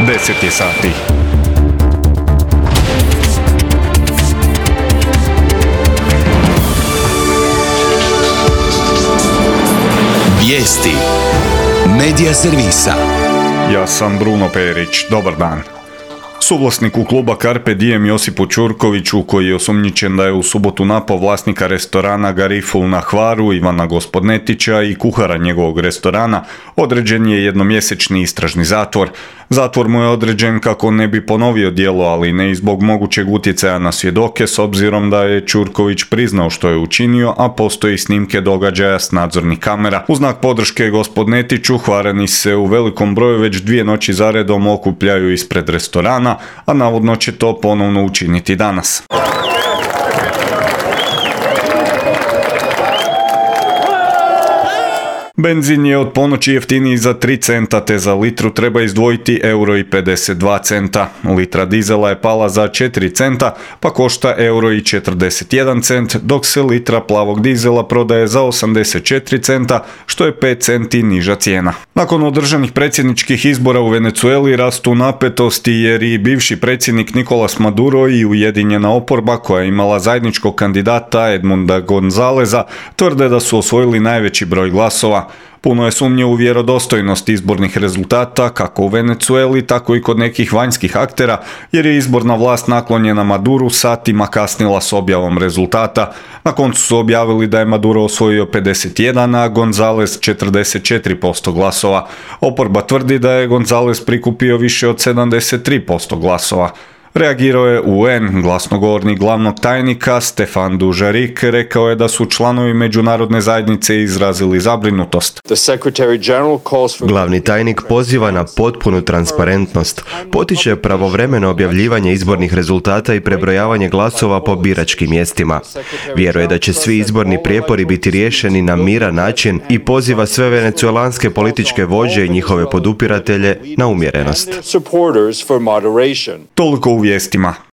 10 je sati. Vijesti Medija servisa. Ja sam Bruno Perić, dobar dan. Suvlasniku kluba Carpe Diem Josipu Ćurkoviću, koji je osumnjičen da je u subotu napao vlasnika restorana Gariful na Hvaru Ivana Gospodnetića i kuhara njegovog restorana, određen je jednomjesečni istražni zatvor. Zatvor mu je određen kako ne bi ponovio djelo, ali ne i zbog mogućeg utjecaja na svjedoke, s obzirom da je Ćurković priznao što je učinio, a postoji snimke događaja s nadzornih kamera. U znak podrške Gospodnetiću, Hvarani se u velikom broju već 2 noći zaredom okupljaju ispred restorana, a navodno će to ponovno učiniti danas. Benzin je od ponoći jeftiniji za 3 centa, te za litru treba izdvojiti €1,52. Litra dizela je pala za 4 centa, pa košta €1,41, dok se litra plavog dizela prodaje za 84 centa, što je 5 centi niža cijena. Nakon održanih predsjedničkih izbora u Venezueli rastu napetosti jer i bivši predsjednik Nicolas Maduro i ujedinjena oporba, koja je imala zajedničkog kandidata Edmunda Gonzaleza, tvrde da su osvojili najveći broj glasova. Puno je sumnje u vjerodostojnost izbornih rezultata, kako u Venezueli, tako i kod nekih vanjskih aktera, jer je izborna vlast naklonjena Maduru satima kasnila s objavom rezultata. Na koncu su objavili da je Maduro osvojio 51, a Gonzales 44% glasova. Oporba tvrdi da je Gonzales prikupio više od 73% glasova. Reagirao je UN, glasnogovornik glavnog tajnika Stefan Dujarric rekao je da su članovi međunarodne zajednice izrazili zabrinutost. Glavni tajnik poziva na potpunu transparentnost, potiče pravovremeno objavljivanje izbornih rezultata i prebrojavanje glasova po biračkim mjestima. Vjeruje da će svi izborni prijepori biti riješeni na miran način i poziva sve venecuelanske političke vođe i njihove podupiratelje na umjerenost. Toliko u vijestima.